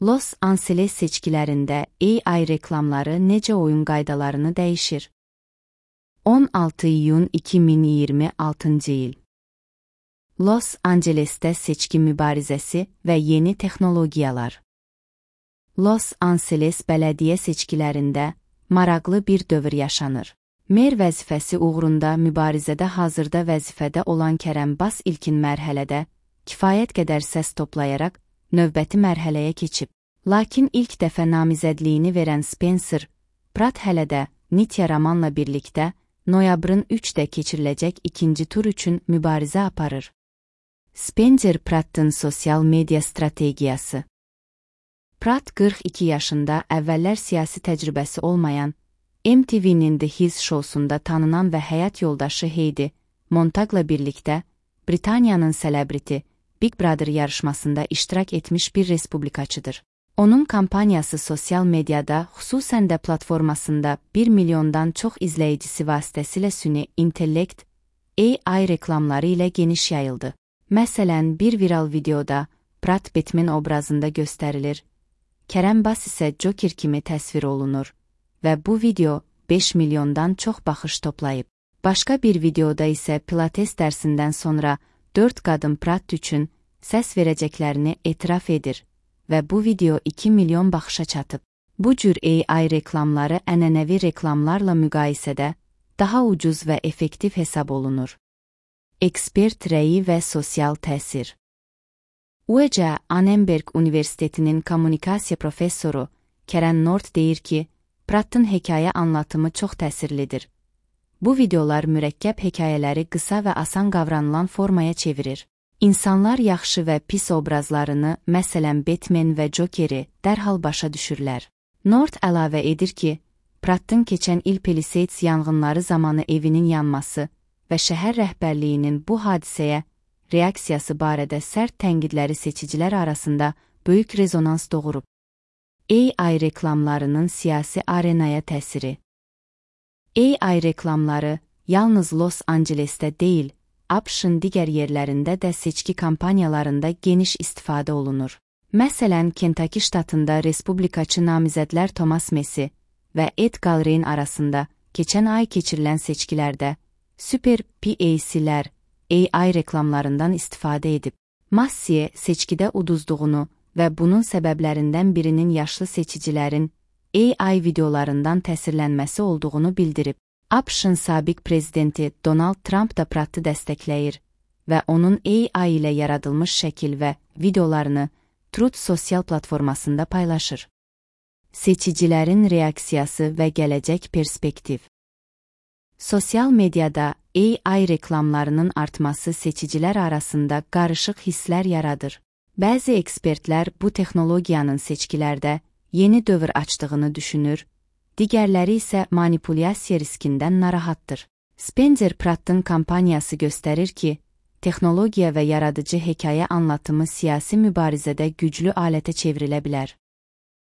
Los Angeles seçkilərində AI reklamları necə oyun qaydalarını dəyişir? 16 iyun 2026 il. Los Angelesdə seçki mübarizəsi və yeni texnologiyalar. Los Angeles bələdiyyə seçkilərində maraqlı bir dövr yaşanır. Mer vəzifəsi uğrunda mübarizədə hazırda vəzifədə olan Kərəm Bass ilkin mərhələdə kifayət qədər səs toplayaraq növbəti mərhələyə keçib. Lakin ilk dəfə namizədliyini verən Spencer Pratt hələ də Nitya Ramanla birlikdə noyabrın 3-də keçiriləcək ikinci tur üçün mübarizə aparır. Spencer Prattın sosial media strategiyası. Pratt 42 yaşında, əvvəllər siyasi təcrübəsi olmayan, MTV'nin The His şousunda tanınan və həyat yoldaşı Heidi Montagla birlikdə Britaniyanın sələbriti Big Brother yarışmasında iştirak etmiş bir respublikaçıdır. Onun kampaniyası sosial mediada, xüsusən də platformasında 1 milyondan çox izləyicisi vasitəsilə süni intellekt, AI reklamları ilə geniş yayıldı. Məsələn, bir viral videoda Pratt Batman obrazında göstərilir, Kərəm Bass isə Joker kimi təsvir olunur və bu video 5 milyondan çox baxış toplayıb. Başqa bir videoda isə Pilates dərsindən sonra 4 qadın Pratt üçün səs verəcəklərini etiraf edir və bu video 2 milyon baxışa çatıb. Bu cür AI reklamları ənənəvi reklamlarla müqayisədə daha ucuz və effektiv hesab olunur. Ekspert rəyi və sosial təsir. UC Annenberg Universitetinin kommunikasiya professoru Karen North deyir ki, Prattın hekayə anlatımı çox təsirlidir. Bu videolar mürəkkəb hekayələri qısa və asan qavranılan formaya çevirir. İnsanlar yaxşı və pis obrazlarını, məsələn Batman və Jokeri, dərhal başa düşürlər. North əlavə edir ki, Prattın keçən il Palisades yanğınları zamanı evinin yanması və şəhər rəhbərliyinin bu hadisəyə reaksiyası barədə sərt tənqidləri seçicilər arasında böyük rezonans doğurub. AI reklamlarının siyasi arenaya təsiri. AI reklamları yalnız Los Angelesdə deyil, ABŞ-ın digər yerlərində də seçki kampaniyalarında geniş istifadə olunur. Məsələn, Kentucky ştatında respublikaçı namizədlər Thomas Massie və Ed Galbraith arasında keçən ay keçirilən seçkilərdə Super PAC-lər AI reklamlarından istifadə edib. Massie seçkidə uduzduğunu və bunun səbəblərindən birinin yaşlı seçicilərin AI videolarından təsirlənməsi olduğunu bildirib. ABŞ-ın sabiq prezidenti Donald Trump da Prattı dəstəkləyir və onun AI ilə yaradılmış şəkil və videolarını Truth sosial platformasında paylaşır. Seçicilərin reaksiyası və gələcək perspektiv. Sosial mediada AI reklamlarının artması seçicilər arasında qarışıq hisslər yaradır. Bəzi ekspertlər bu texnologiyanın seçkilərdə yeni dövr açdığını düşünür, digərləri isə manipulyasiya riskindən narahatdır. Spencer Prattın kampaniyası göstərir ki, texnologiya və yaradıcı hekayə anlatımı siyasi mübarizədə güclü alətə çevrilə bilər.